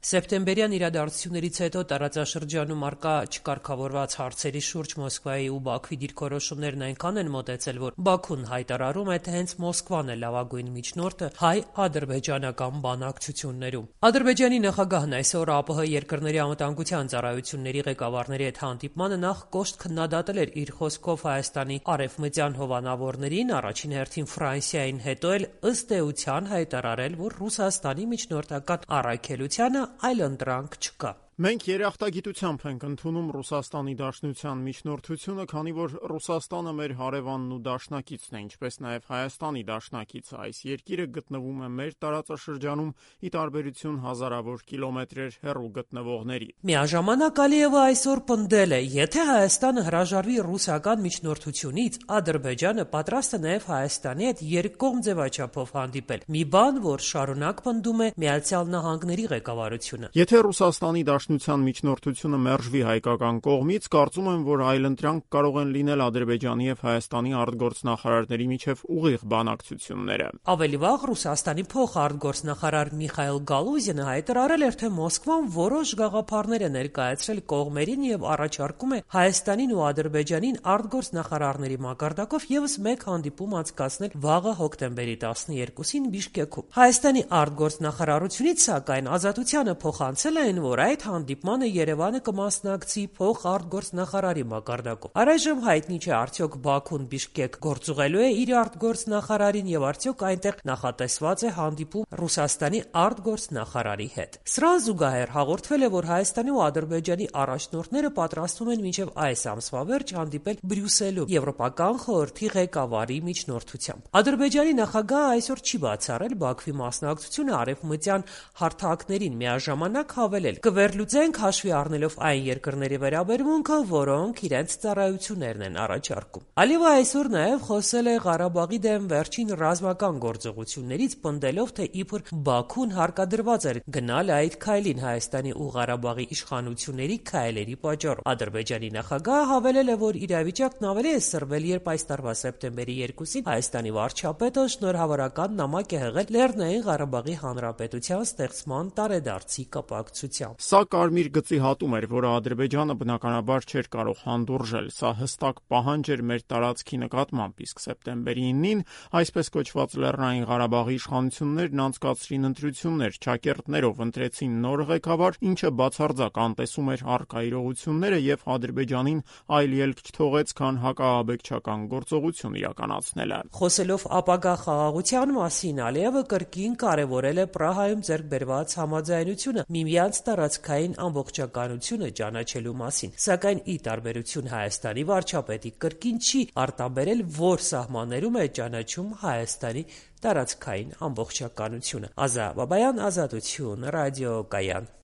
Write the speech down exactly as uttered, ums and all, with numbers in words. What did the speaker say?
Սեպտեմբերյան իրադարձություններից հետո տարածաշրջանում առկա չկարգավորված հարցերի շուրջ Մոսկվայի ու Բաքվի դիրքորոշումներն այնքան են մոտեցել, որ Բաքուն հայտարարում է, թե հենց Մոսկվան է լավագույն միջնորդը հայ-ադրբեջանական բանակցություններում։ Ադրբեջանի նախագահն այսօր ԱՊՀ երկրների անվտանգության ծառայությունների ղեկավարների հետ հանդիպմանը նախ կոշտ քննադատել էր իր խոսքով Հայաստանի արևմտյան հովանավորներին, առաջին հերթին Ֆրանսիային, հետո էլ ըստ էության հայտարարել, որ Ռուսաստանի միջնորդական առաքելությանը այլընտրանք չկա։ Մենք երախտագիտությամբ ենք ընդունում Ռուսաստանի Դաշնության միջնորդությունը, քանի որ Ռուսաստանը մեր հարևանն ու դաշնակիցն է, ինչպես նաև Հայաստանի դաշնակիցը։ Այս երկիրը գտնվում է մեր տարածաշրջանում, ի տարբերություն հազարավոր կիլոմետրեր հեռու գտնվողների։ Միաժամանակ Ալիևը այսօր պնդել է, եթե Հայաստանը հրաժարվի ռուսական միջնորդությունից, Ադրբեջանը պատրաստ է նաև Հայաստանի հետ երկկողմ ձևաչափով հանդիպել։ Մի բան, որ շարունակ պնդում է Միացյալ Նահանգների ղեկավարությունը։ Եթե Ռուսաստանի Դաշնության միջնորդությունը մերժվի հայկական կողմից, կարծում եմ, որ այլընտրանք կարող են լինել Ադրբեջանի եւ Հայաստանի արտգործնախարարների միջև ուղիղ բանակցությունները։ Ավելի վաղ Ռուսաստանի փոխարտգործնախարար Միխայիլ Գալուզինը հայտարարել էր, թե Մոսկվան որոշ գաղափարներ է ներկայացրել կողմերին եւ առաջարկում է Հայաստանին ու Ադրբեջանին արտգործնախարարների մակարդակով եւս մեկ հանդիպում անցկացնել վաղը հոկտեմբերի տասներկուսին Բիշկեքում։ Հայաստանի արտգործնախարարությունից, սակայն, ազատությանը փոխանցել են, որ այդ հանդիպմանը Երևանը կմասնակցի փոխարտգործնախարարի մակարդակով։ Առայժմ հայտնի չէ, արդյոք Բաքուն Բիշկեք գործուղելու է իր արտգործնախարարին եւ արդյոք այնտեղ նախատեսված է հանդիպում Ռուսաստանի արտգործնախարարի հետ։ Սրան զուգահեռ հաղորդվել է, որ Հայաստանի ու Ադրբեջանի առաջնորդները պատրաստվում են մինչև այս ամսվա վերջ հանդիպել Բրյուսելում Եվրոպական խորհրդի ղեկավարի միջնորդությամբ։ Ադրբեջանի նախագահը այսօր չի բացառել Բաքվի մասնակցությունը արևմտյան հարթակներին, միաժամանակ հավելել. «Կվերլուծենք հաշվի առնելով այն երկրների վերաբերմունքը, որոնք իրենց ծառայություններն են առաջարկում»։ Ալիևը այսօր նաև խոսել է Ղարաբաղի դեմ վերջին ռազմական գործողություններից, պնդելով, թե իբր Բաքուն հարկադրված էր գնալ այդ քայլին Հայաստանի ու Ղարաբաղի իշխանությունների քայլերի պատճառով։ Ադրբեջանի նախագահը հավելել է, որ իրավիճակն ավելի է սրվել, երբ այս տարվա սեպտեմբերի երկուսին Հայաստանի վարչապետը շնորհավորական նամակ է հղել Լեռնային Ղարաբաղի Հանրապետության ստեղծման տարեդարձի կապակցությամբ։ Սա կարմիր գծի հատում էր, որը Ադրբեջանը բնականաբար չէր կարող հանդուրժել։ Սա հստակ պահանջ էր մեր տարածքի նկատմամբ, իսկ սեպտեմբերի իննին այսպես կոչված Լեռնային Ղարաբաղի իշխանություններն անցկացրին ընտրություններ, ճակերտներով ընտրեցին նոր ղեկավար, ինչը բացարձակ անտեսում էր առկա իրողությունները եւ Ադրբեջանին այլ ելք չթողեց, քան հակաահաբեկչական գործողություն իրականացնելը։ Խոսելով ապագա խաղաղության մասին, Ալիևը կրկին կարևորել է Պրահայում ձեռք բերված համաձայնությունը միմյանց տարածքային ամբողջականությունը ճանաչելու մասին, սակայն ի տարբերություն Հայաստանի վարչապետի կրկին չի արտաբերել, որ սահմաններում է ճանաչում Հայաստանի տարածքային ամբողջականությունը։ Ազա Բաբայան, Ազատություն, ռադիոկայան։